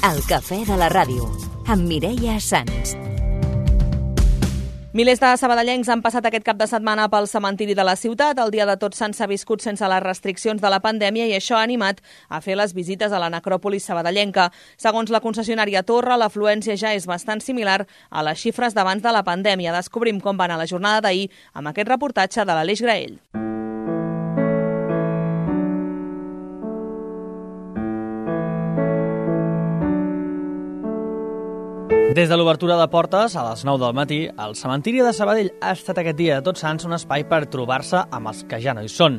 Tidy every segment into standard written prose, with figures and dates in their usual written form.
El cafè de la ràdio, amb Mireia Sans. Milers de sabadellencs han passat aquest cap de setmana pel cementiri de la ciutat. El dia de Tots Sants s'ha viscut sense les restriccions de la pandèmia i això ha animat a fer les visites a la necròpolis sabadellenca. Segons la concessionària Torre, l'afluència ja és bastant similar a les xifres d'abans de la pandèmia. Descobrim com va anar la jornada d'ahir amb aquest reportatge de l'Aleix Graell. Des de l'obertura de portes, a les 9 del matí, el cementiri de Sabadell ha estat aquest dia de Tots Sants un espai per trobar-se amb els que ja no hi són.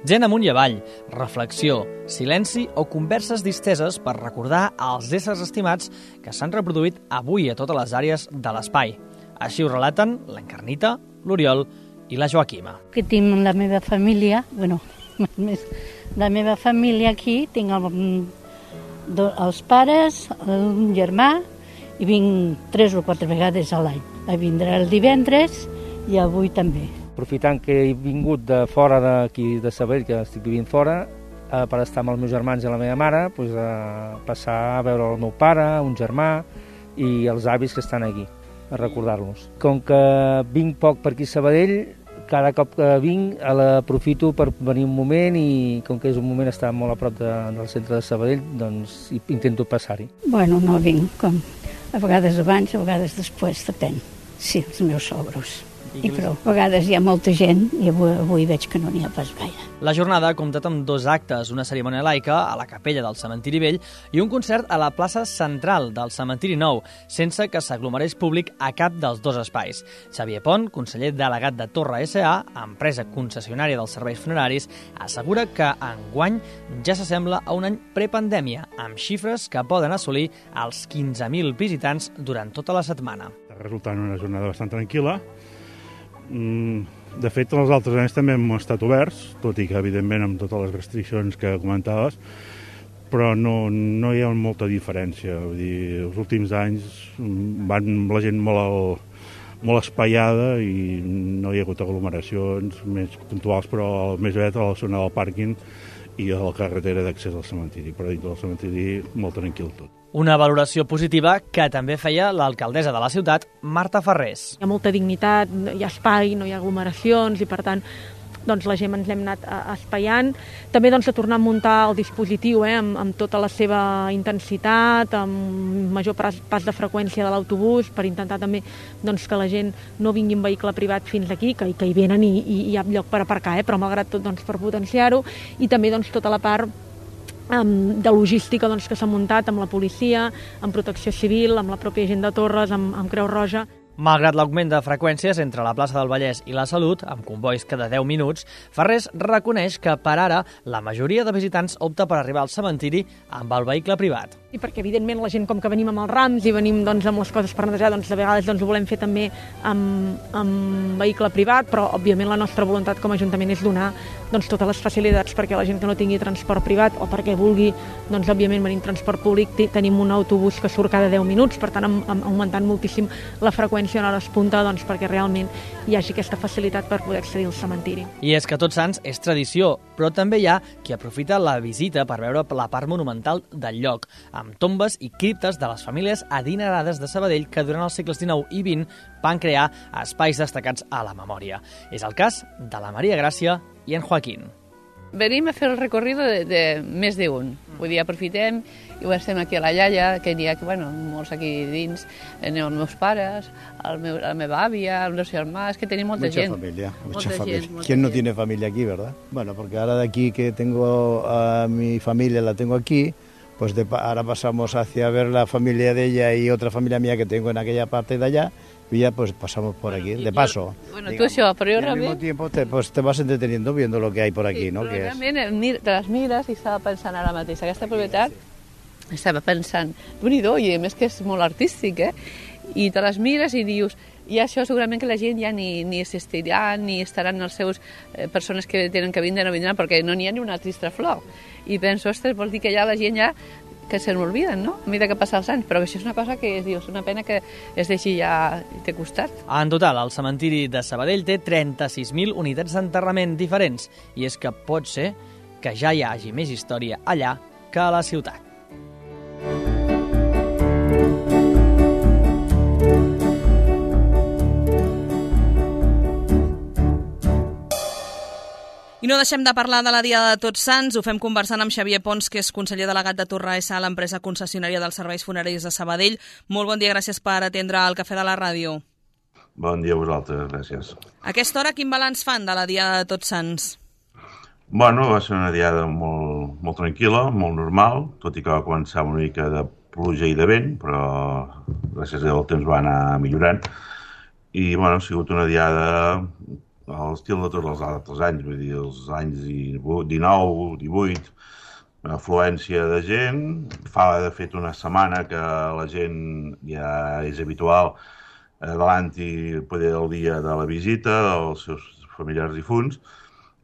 Gent amunt i avall, reflexió, silenci o converses disteses per recordar els éssers estimats que s'han reproduït avui a totes les àrees de l'espai. Així ho relaten l'Encarnita, l'Oriol i la Joaquima. Que tinc la meva família, la meva família aquí, tinc els pares, un germà, i vinc 3 o 4 vegades a l'any. Vindré el divendres i avui també. Aprofitant que he vingut de fora d'aquí de Sabadell, que estic vivint fora, per estar amb els meus germans i la meva mare, a passar a veure el meu pare, un germà i els avis que estan aquí, a recordar-los. Com que vinc poc per aquí a Sabadell, cada cop que vinc l'aprofito per venir un moment i com que és un moment estar molt a prop del centre de Sabadell, doncs intento passar-hi. Bueno, no vinc com a vegades abans, a vegades després, depèn. Sí, els meus sogros. I prou. A vegades hi ha molta gent i avui veig que no n'hi ha pas gaire. La jornada ha comptat amb 2 actes, una cerimònia laica a la capella del cementiri vell i un concert a la plaça central del cementiri nou, sense que s'aglomerés públic a cap dels 2 espais. Xavier Pont, conseller delegat de Torre S.A., empresa concessionària dels serveis funeraris, assegura que enguany ja s'assembla a un any prepandèmia, amb xifres que poden assolir els 15.000 visitants durant tota la setmana. Està resultant una jornada bastant tranquil·la. De fet, els altres anys també hem estat oberts, tot i que, evidentment, amb totes les restriccions que comentaves, però no hi ha molta diferència. Vull dir, els últims anys van la gent molt espaiada i no hi ha hagut aglomeracions més puntuals, però més aviat a la zona del pàrquing i a la carretera d'accés al cementiri, però dintre del cementiri molt tranquil tot. Una valoració positiva que també feia l'alcaldessa de la ciutat, Marta Ferrés. Hi ha molta dignitat, hi ha espai, no hi ha aglomeracions i, per tant, doncs la gent ens l'hem anat espaiant. També doncs, a tornar a muntar el dispositiu amb tota la seva intensitat, amb major pas de freqüència de l'autobús, per intentar també doncs, que la gent no vingui en vehicle privat fins aquí, que hi venen i hi ha lloc per aparcar, però malgrat tot doncs, per potenciar-ho, i també doncs, tota la part de logística doncs, que s'ha muntat amb la policia, amb protecció civil, amb la pròpia gent de Torres, amb Creu Roja. Malgrat l'augment de freqüències entre la plaça del Vallès i la Salut, amb convois cada 10 minuts, Ferrés reconeix que per ara la majoria de visitants opta per arribar al cementiri amb el vehicle privat. I perquè, evidentment, la gent, com que venim amb els rams i venim doncs, amb les coses per netejar, doncs, de vegades doncs, ho volem fer també amb vehicle privat, però, òbviament, la nostra voluntat com a Ajuntament és donar doncs, totes les facilitats perquè la gent que no tingui transport privat o perquè vulgui, doncs, òbviament, venir en transport públic, tenim un autobús que surt cada 10 minuts, per tant, augmentant moltíssim la freqüència en hores punta doncs, perquè realment hi hagi aquesta facilitat per poder accedir al cementiri. I és que Tots Sants és tradició, però també hi ha qui aprofita la visita per veure la part monumental del lloc, amb tombes i criptes de les famílies adinerades de Sabadell que durant els segles XIX i XX van crear espais destacats a la memòria. És el cas de la Maria Gràcia i en Joaquín. Venim a fer el recorrido de més d'un. Vull dir, aprofitem i estem aquí a la iaia, que n'hi ha molts aquí dins, els meus pares, la meva àvia, els meus germans, que tenim molta gent. Mucha familia. ¿Quién no tiene familia aquí, verdad? Bueno, porque ahora de aquí que tengo a mi familia, la tengo aquí, pues ahora pasamos hacia ver la familia de ella y otra familia mía que tengo en aquella parte de allá, y ya pues pasamos por aquí, de paso. Bueno, digamos, tú això, però jo realment... Al mismo tiempo te vas entreteniendo viendo lo que hay por aquí, sí, ¿no? Però realment te les mires i estava pensant ara mateix, aquesta propietat, estava pensant, déu-n'hi-do, i a més que és molt artístic, i te les mires i dius, i això segurament que la gent ja ni assistirà, ni estaran els seus persones que tenen que vindre, no vindran, perquè no n'hi ha ni una trista flor. I penso, ostres, vol dir que ja la gent ja que se n'olviden, no? A mesura que passen els anys, però això és una cosa que dius, una pena que es deixi ja té costat. En total, el cementiri de Sabadell té 36.000 unitats d'enterrament diferents, i és que pot ser que ja hi hagi més història allà que a la ciutat. I no deixem de parlar de la Diada de Tots Sants, ho fem conversant amb Xavier Pons, que és conseller delegat de Torra S.A., l'empresa concessionària dels serveis funeraris de Sabadell. Molt bon dia, gràcies per atendre el Cafè de la Ràdio. Bon dia a vosaltres, gràcies. A aquesta hora, quin balanç fan de la Diada de Tots Sants? Bueno, va ser una diada molt tranquil·la, molt normal, tot i que va començar una mica de pluja i de vent, però gràcies a Déu el temps va anar millorant. I, bueno, ha sigut una diada a l'estil de tots els altres anys, vull dir, els anys 19, 18, afluència de gent. Fa, de fet, una setmana que la gent ja és habitual adelanti el dia de la visita dels seus familiars difunts,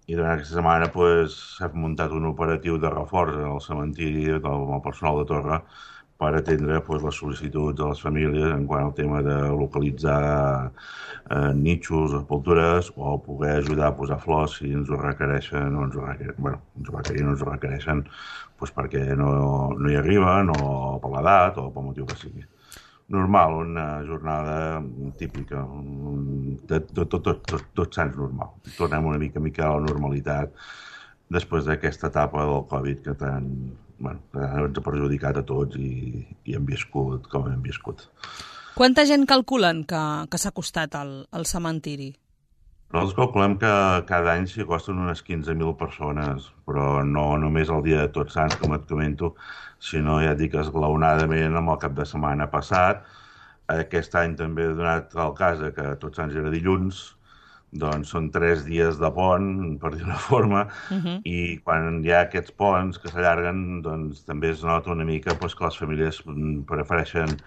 i durant aquesta setmana s'ha muntat un operatiu de reforç al cementiri amb el personal de Torre per atendre les sol·licituds de les famílies en quant al tema de localitzar nitxos, sepultures, o poder ajudar a posar flors si ens ho requereixen o ens ho requereixen perquè no hi arriben, o per l'edat, o pel motiu que sigui. Normal, una jornada típica, tots sants normal. Tornem una mica a la normalitat després d'aquesta etapa del Covid que tant ens ha perjudicat a tots i hem viscut com hem viscut. Quanta gent calculen que s'ha costat al cementiri? Nosaltres calculem que cada any s'hi costen unes 15.000 persones, però no només el dia de Tots Sants, com et comento, sinó ja et dic esglaonadament amb el cap de setmana passat. Aquest any també he donat el cas que Tots Sants era dilluns, doncs són 3 dies de pont, per dir una forma, i quan hi ha aquests ponts que s'allarguen, doncs també es nota una mica que les famílies prefereixen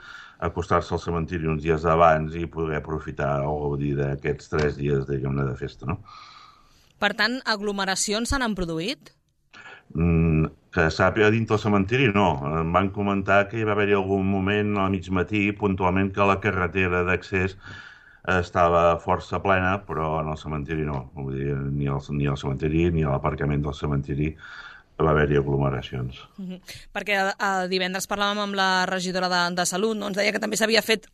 acostar-se al cementiri uns dies abans i poder aprofitar o gaudir d'aquests 3 dies, diguem-ne, de festa, no? Per tant, aglomeracions s'han produït? Que sàpiga dins del cementiri, no. Em van comentar que hi va haver-hi algun moment al mig matí, puntualment, que la carretera d'accés estava força plena, però en el cementiri no. Vull dir, ni al cementiri ni a l'aparcament del cementiri va haver-hi aglomeracions. Perquè divendres parlàvem amb la regidora de Salut, no? Ens deia que també s'havia fet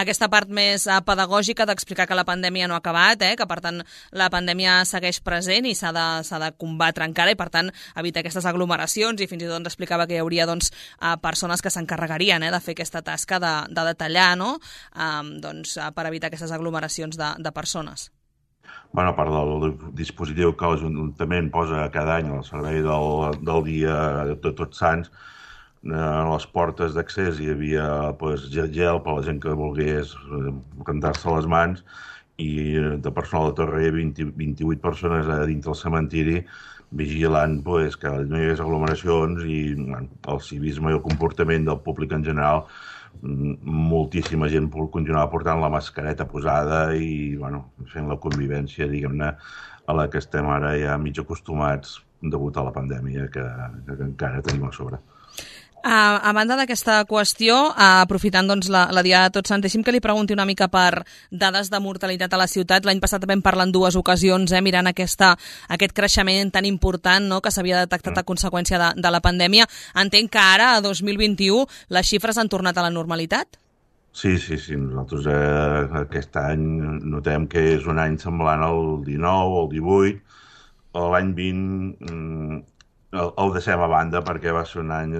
aquesta part més pedagògica d'explicar que la pandèmia no ha acabat, que per tant la pandèmia segueix present i s'ha de combatre encara, i per tant evitar aquestes aglomeracions, i fins i tot ens explicava que hi hauria persones que s'encarregarien de fer aquesta tasca de detallar, no? Per evitar aquestes aglomeracions de persones. A part del dispositiu que l'Ajuntament posa cada any al servei del dia de Tots Sants, a les portes d'accés hi havia gel per a la gent que volgués rentar-se les mans, i de personal de Torre hi havia 28 persones a dins del cementiri vigilant que no hi hagués aglomeracions, i el civisme i el comportament del públic en general. Moltíssima gent continuava portant la mascareta posada i fent la convivència, diguem-ne, a la que estem ara ja mig acostumats degut a la pandèmia que encara tenim a sobre. A banda d'aquesta qüestió, aprofitant la Diada de Tots Sants, deixi'm que li pregunti una mica per dades de mortalitat a la ciutat. L'any passat vam parlar en 2 ocasions, mirant aquest creixement tan important que s'havia detectat a conseqüència de la pandèmia. Entenc que ara, a 2021, les xifres han tornat a la normalitat? Sí. Nosaltres aquest any notem que és un any semblant al 19, al 18, l'any 20... El deixem a banda perquè va ser un any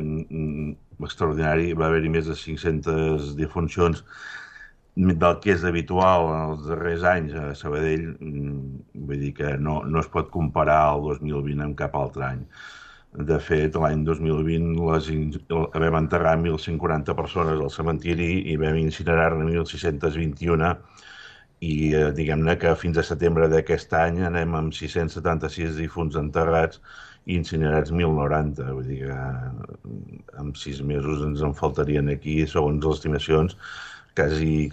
extraordinari. Va haver-hi més de 500 defuncions del que és habitual en els darrers anys a Sabadell. Vull dir que no es pot comparar el 2020 amb cap altre any. De fet, l'any 2020 vam enterrar 1.140 persones al cementiri i vam incinerar-ne 1.621, i diguem-ne que fins a setembre d'aquest any anem amb 676 difunts enterrats i incinerats 1.090. Vull dir que en 6 mesos ens en faltarien aquí, segons les estimacions, quasi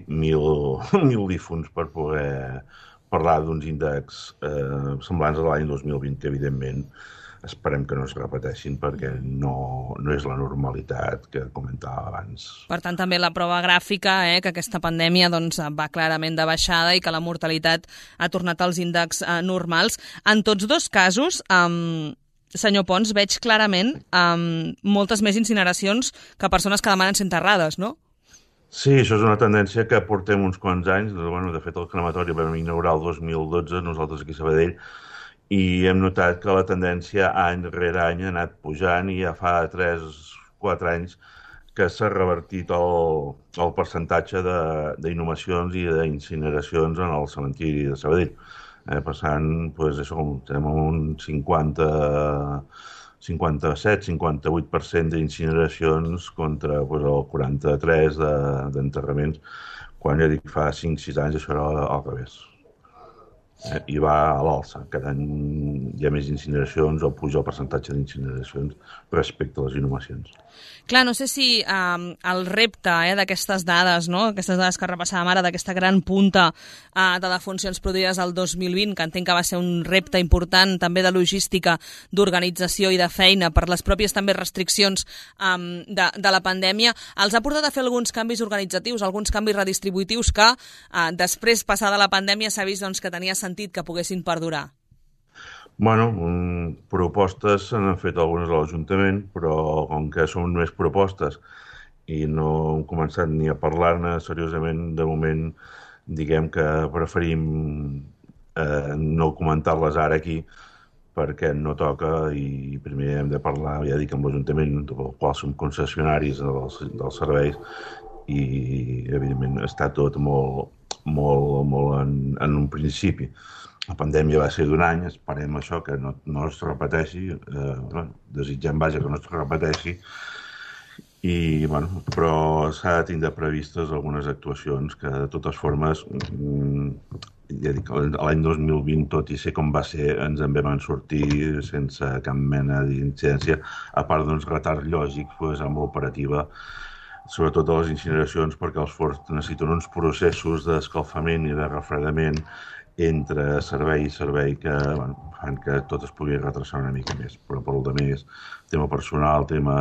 1.000 difunts per poder parlar d'uns índexs semblants a l'any 2020, que evidentment esperem que no es repeteixin perquè no és la normalitat que comentava abans. Per tant, també la prova gràfica, que aquesta pandèmia va clarament de baixada i que la mortalitat ha tornat als índexs normals. En tots 2 casos, senyor Pons, veig clarament moltes més incineracions que persones que demanen ser enterrades, no? Sí, això és una tendència que portem uns quants anys. De fet, el crematori vam inaugurar el 2012, nosaltres aquí a Sabadell, i hem notat que la tendència any rere any ha anat pujant i ja fa 3-4 anys que s'ha revertit el percentatge d'inhumacions i d'incineracions en el cementiri de Sabadell. Passant, estem en un 57-58% d'incineracions contra el 43% d'enterraments, quan ja dic fa 5-6 anys això era al revés. I va a l'alça. Cada any hi ha més incineracions o puja el percentatge d'incineracions respecte a les inhumacions. Clar, no sé si el repte d'aquestes dades, no? Aquestes dades que repassàvem ara, d'aquesta gran punta de defuncions produïdes el 2020, que entenc que va ser un repte important també de logística, d'organització i de feina per les pròpies també restriccions de la pandèmia, els ha portat a fer alguns canvis organitzatius, alguns canvis redistributius que després, passada la pandèmia, s'ha vist que tenia sentit que poguessin perdurar. Propostes se n'han fet algunes a l'Ajuntament, però com que són més propostes i no hem començat ni a parlar-ne seriosament, de moment diguem que preferim no comentar-les ara aquí perquè no toca i primer hem de parlar, ja dic, amb l'Ajuntament, del qual som concessionaris dels serveis i evidentment està tot molt en un principi. La pandèmia va ser d'un any, esperem això, que no es repeteixi, desitgem, que no es repeteixi, però s'ha de tindre previstes algunes actuacions que, de totes formes, ja dic, l'any 2020, tot i ser com va ser, ens en vam sortir sense cap mena d'incidència, a part d'uns retards lògics amb l'operativa, sobretot a les incineracions, perquè els forns necessiten uns processos d'escalfament i de refredament entre servei i servei que fan que tot es pugui retrasar una mica més. Però per al més, tema personal, tema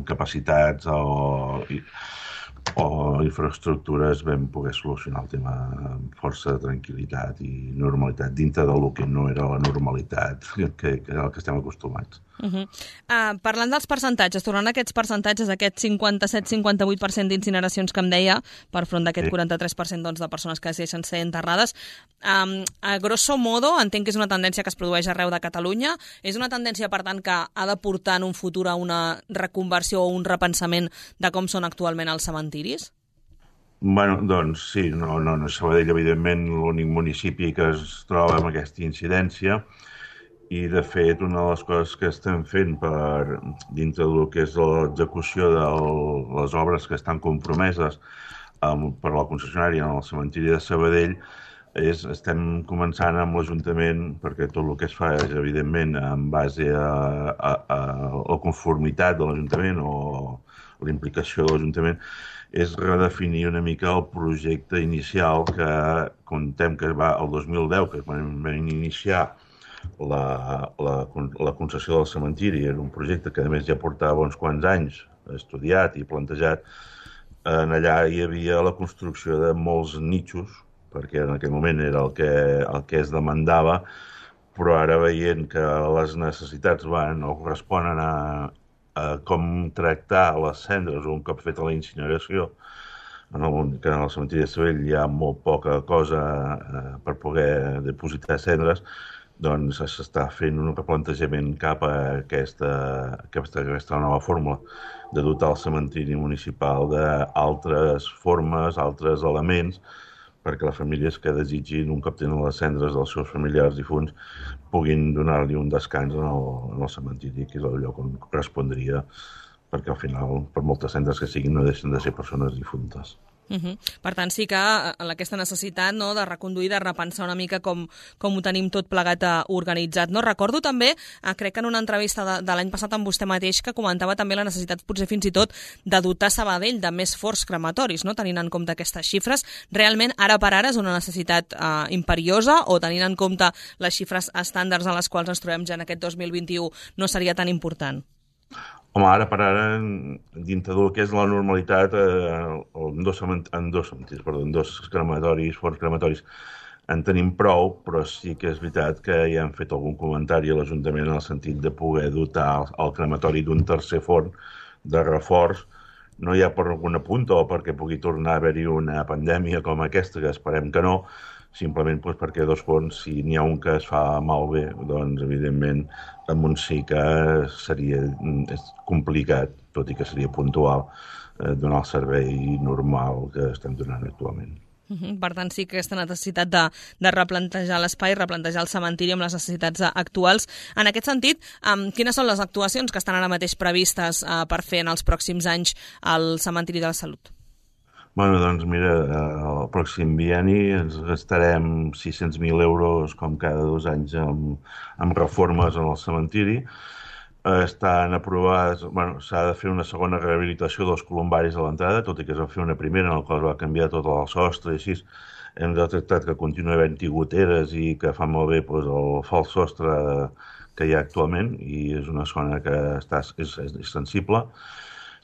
capacitats o infraestructures, vam poder solucionar el tema amb força tranquil·litat i normalitat, dintre del que no era la normalitat que estem acostumats. Parlant dels percentatges, tornant a aquests percentatges, aquest 57-58% d'incineracions que em deia, per front d'aquest 43% de persones que decideixen ser enterrades, a grosso modo, entenc que és una tendència que es produeix arreu de Catalunya, és una tendència, per tant, que ha de portar en un futur a una reconversió o un repensament de com són actualment els cementiris? Doncs sí, no Sabadell, evidentment, l'únic municipi que es troba amb aquesta incidència. I, de fet, una de les coses que estem fent dintre del que és l'execució de les obres que estan compromeses per la concessionària en el cementiri de Sabadell estem començant amb l'Ajuntament, perquè tot el que es fa és, evidentment, en base a la conformitat de l'Ajuntament o l'implicació de l'Ajuntament, és redefinir una mica el projecte inicial que contem que va el 2010, que quan vam iniciar la concessió del cementiri. Era un projecte que, a més, ja portava uns quants anys estudiat i plantejat. Allà hi havia la construcció de molts nichos, perquè en aquell moment era el que es demandava, però ara veient que les necessitats no corresponen a com tractar les cendres un cop feta la incineració, que en el cementiri de Sabadell hi ha molt poca cosa per poder dipositar cendres, doncs s'està fent un replantejament cap a aquesta nova fórmula de dotar el cementiri municipal d'altres formes, altres elements, perquè les famílies que desitgin, un cop tenen les cendres dels seus familiars difunts, puguin donar-li un descans en el cementiri, que és el lloc on correspondria, perquè al final, per moltes cendres que siguin, no deixen de ser persones difuntes. Per tant, sí que aquesta necessitat de reconduir, de repensar una mica com ho tenim tot plegat organitzat. Recordo també, crec que en una entrevista de l'any passat amb vostè mateix, que comentava també la necessitat, potser fins i tot, de dotar Sabadell de més forns crematoris, tenint en compte aquestes xifres. Realment, ara per ara, és una necessitat imperiosa, o tenint en compte les xifres estàndards en les quals ens trobem ja en aquest 2021 no seria tan important? Home, ara per ara, dintre del que és la normalitat, en dos crematoris, forns crematoris, en tenim prou, però sí que és veritat que ja han fet algun comentari a l'Ajuntament en el sentit de poder dotar el crematori d'un tercer forn de reforç, no hi ha per alguna punta o perquè pugui tornar a haver-hi una pandèmia com aquesta, que esperem que no, simplement perquè dos forns, si n'hi ha un que es fa malbé, doncs evidentment amb un sí que seria complicat, tot i que seria puntual, donar el servei normal que estem donant actualment. Per tant, sí que aquesta necessitat de replantejar l'espai, replantejar el cementiri amb les necessitats actuals. En aquest sentit, quines són les actuacions que estan ara mateix previstes per fer en els pròxims anys al cementiri de la Salut? Bueno, doncs mira, el pròxim bienni ens gastarem 600.000 euros com cada 2 anys amb reformes en el cementiri. Estan aprovades, s'ha de fer una segona rehabilitació dels columbaris a l'entrada, tot i que es va fer una primera en la qual es va canviar tot el sostre i així. Hem detectat que continua havent-hi goteres i que fa molt bé el fals sostre que hi ha actualment i és una zona que és sensible.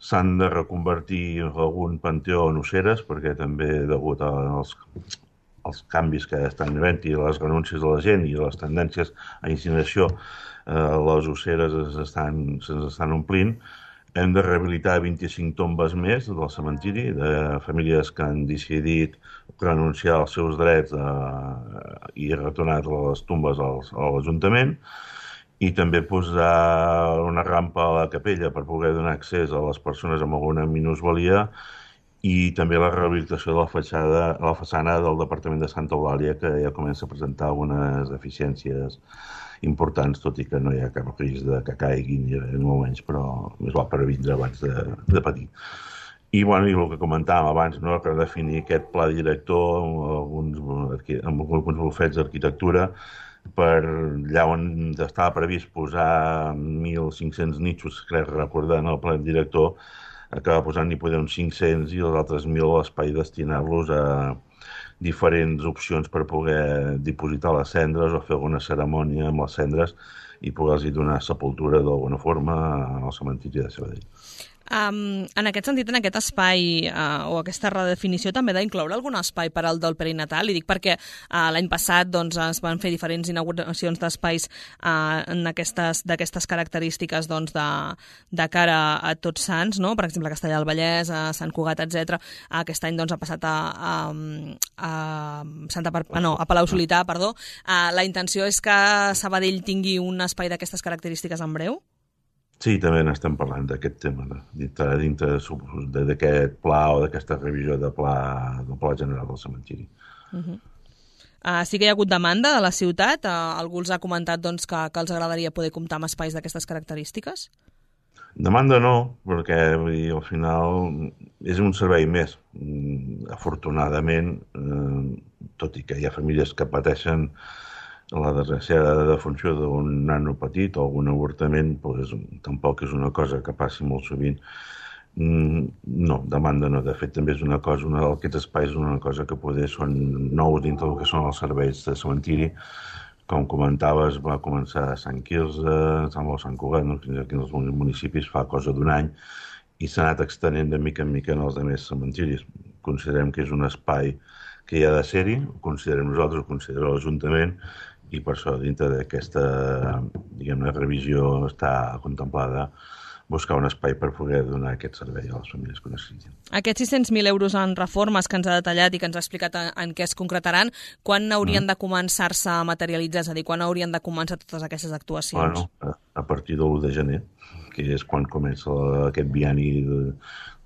S'han de reconvertir algun panteó en osseres perquè també degut als canvis que estan havent-hi, les renúncies de la gent i les tendències a incineració, les osseres se'ns estan omplint. Hem de rehabilitar 25 tombes més del cementiri de famílies que han decidit renunciar als seus drets i retornar les tombes a l'Ajuntament. I també posar una rampa a la capella per poder donar accés a les persones amb alguna minusvalia i també la rehabilitació de la façana del Departament de Santa Eulàlia, que ja comença a presentar algunes deficiències importants, tot i que no hi ha cap risc de que caiguin en moments, però més val previndre abans de patir. I el que comentàvem abans, redefinir aquest pla director amb alguns bufets d'arquitectura per allà on estava previst posar 1.500 nichos, crec recordar, en el pla director, acaba posant ni poder uns 500 i els altres 1.000 a l'espai destinar-los a diferents opcions per poder dipositar les cendres o fer alguna cerimònia amb les cendres i poder-los donar sepultura d'alguna forma al cementiri de Sabadell. En aquest sentit, en aquest espai o aquesta redefinició també ha d'incloure algun espai per al dol perinatal? I dic perquè l'any passat es van fer diferents inauguracions d'espais d'aquestes característiques de cara a Tots Sants, no? Per exemple, a Castellar del Vallès, a Sant Cugat, etc. Aquest any ha passat a Palau-solità, perdó. La intenció és que Sabadell tingui un espai d'aquestes característiques en breu? Sí, també n'estem parlant d'aquest tema, dintre d'aquest pla o d'aquesta revisió del pla general del cementiri. Sí que hi ha hagut demanda de la ciutat? Algú els ha comentat que els agradaria poder comptar amb espais d'aquestes característiques? Demanda no, perquè al final és un servei més. Afortunadament, tot i que hi ha famílies que pateixen la desgraciada defunció d'un nano petit o algun avortament, tampoc és una cosa que passi molt sovint. No, demanda no. De fet, també és una cosa, aquests espais és una cosa que poder són nous dintre del que són els serveis de cementiri. Com comentaves, va començar a Sant Quirze, a Sant Cugat, aquí en els municipis fa cosa d'un any, i s'ha anat extenent de mica en mica en els altres cementiris. Considerem que és un espai que hi ha de ser-hi, ho considerem nosaltres, ho considera l'Ajuntament, i per això dintre d'aquesta revisió està contemplada buscar un espai per poder donar aquest servei a les famílies que ho necessitin. Aquests 600.000 euros en reformes que ens ha detallat i que ens ha explicat en què es concretaran, quan haurien de començar-se a materialitzar? És a dir, quan haurien de començar totes aquestes actuacions? A partir de l'1 de gener, que és quan comença aquest bienni de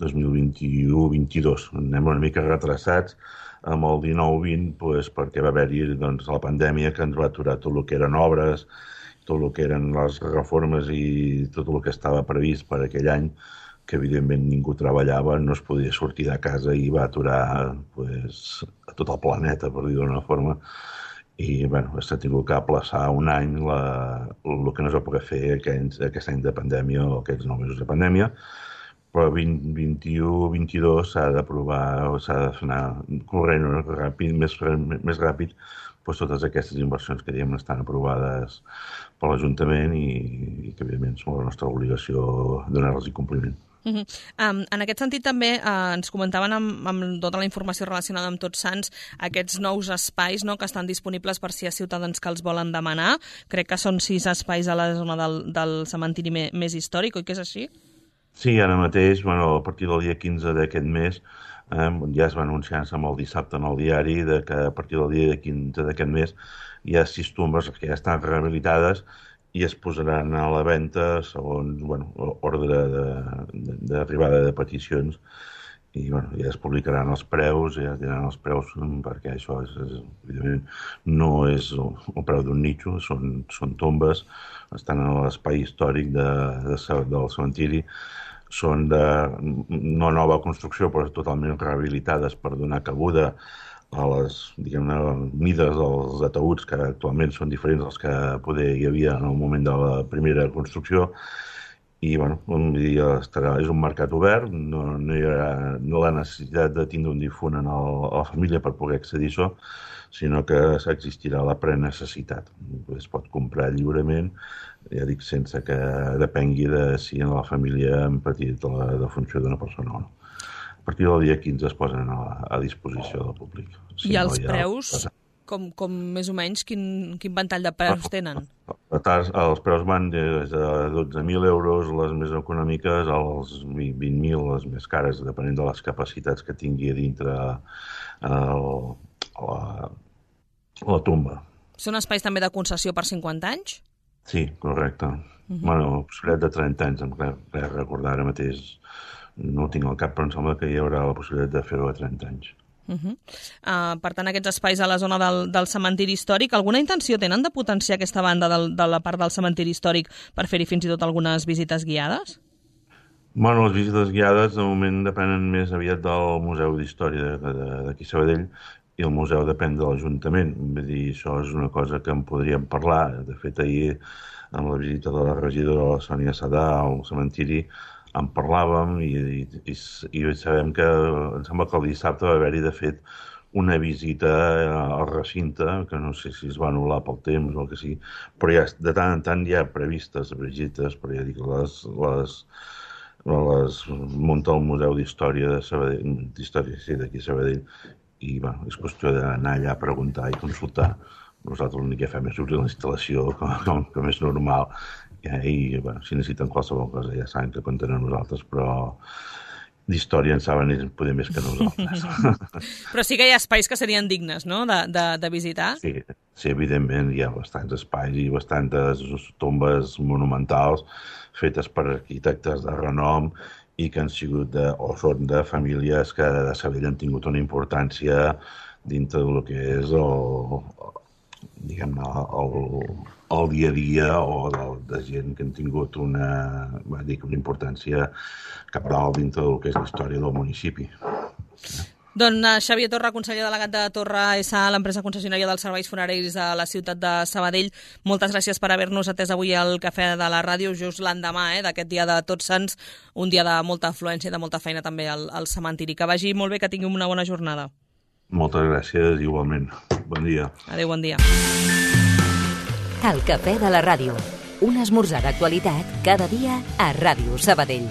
2021-22. Anem una mica retrasats amb el 19-20 perquè va haver-hi la pandèmia que ens va aturar tot el que eren obres, tot el que eren les reformes i tot el que estava previst per aquell any, que evidentment ningú treballava, no es podia sortir de casa i va aturar a tot el planeta, per dir d'una forma. I s'ha tingut que aplaçar un any el que no es va poder fer aquest any de pandèmia o aquests 9 mesos de pandèmia, però 2021-22 s'ha d'aprovar, s'ha de anar corrent més ràpid totes aquestes inversions que estan aprovades per l'Ajuntament i que evidentment és la nostra obligació donar-los compliment. En aquest sentit també ens comentaven amb tota la informació relacionada amb Tots Sants aquests nous espais, no?, que estan disponibles per si hi ha ciutadans que els volen demanar. Crec que són 6 espais a la zona del cementiri més històric, oi que és així? Sí, ara mateix, a partir del dia 15 d'aquest mes, ja es va anunciar-se amb el dissabte en el diari que a partir del dia 15 d'aquest mes hi ha 6 tombes que ja estan rehabilitades i es posaran a la venda segons ordre d'arribada de peticions i ja es publicaran els preus, ja es diran els preus perquè això evidentment no és el preu d'un nitxo, són tombes, estan a l'espai històric del cementiri, són de no nova construcció però totalment rehabilitades per donar cabuda a les, mides dels ataüts que actualment són diferents dels que poder hi havia en el moment de la primera construcció i és un mercat obert, no hi ha la necessitat de tindre un difunt a la família per poder accedir a això, sinó que existirà la prenecessitat. Es pot comprar lliurement, ja dic, sense que depengui de si en la família han patit la defunció d'una persona o no. A partir del dia 15 es posen a disposició del públic. I els preus, com més o menys, quin ventall de preus tenen? Els preus van des de 12.000 euros, les més econòmiques, als 20.000, les més cares, depenent de les capacitats que tingui a dintre la tomba. Són espais també de concessió per 50 anys? Sí, correcte. Possibilitat de 30 anys, em crec recordar ara mateix. No ho tinc al cap, però em sembla que hi haurà la possibilitat de fer-ho a 30 anys. Per tant, aquests espais a la zona del cementiri històric, alguna intenció tenen de potenciar aquesta banda de la part del cementiri històric per fer-hi fins i tot algunes visites guiades? Les visites guiades de moment depenen més aviat del Museu d'Història d'aquí Sabadell i el museu depèn de l'Ajuntament. Vull dir, això és una cosa que en podríem parlar. De fet, ahir, amb la visita de la regidora la Sònia Sadà al cementiri, en parlàvem i sabem que em sembla que el dissabte va haver-hi, de fet, una visita al recinte, que no sé si es va anul·lar pel temps o el que sigui, però ja de tant en tant hi ha previstes visites, però ja dic, les munta el Museu d'Història de Sabadell, d'aquí Sabadell, i és qüestió d'anar allà a preguntar i consultar. Nosaltres l'únic que fem és obrir la instal·lació com és normal i si necessiten qualsevol cosa ja saben que compten a nosaltres, però d'història en saben ells poder més que nosaltres. Però sí que hi ha espais que serien dignes, no?, de visitar? Sí, evidentment, hi ha bastants espais i bastantes tombes monumentals fetes per arquitectes de renom i que han sigut o són de famílies que de Sabadell han tingut una importància dintre del que és el dia a dia o de gent que han tingut una importància cabdal dintre del que és la història del municipi. Doncs Xavier Torra, conseller delegat de Torra S.A., l'empresa concessionària dels serveis funeraris de la ciutat de Sabadell, moltes gràcies per haver-nos atès avui al Cafè de la Ràdio, just l'endemà d'aquest dia de Tots Sants, un dia de molta afluència i de molta feina també al cementiri. Que vagi molt bé, que tingui una bona jornada. Moltes gràcies, igualment. Bon dia. Adéu, bon dia. El Cafè de la Ràdio, un esmorzar d'actualitat cada dia a Ràdio Sabadell.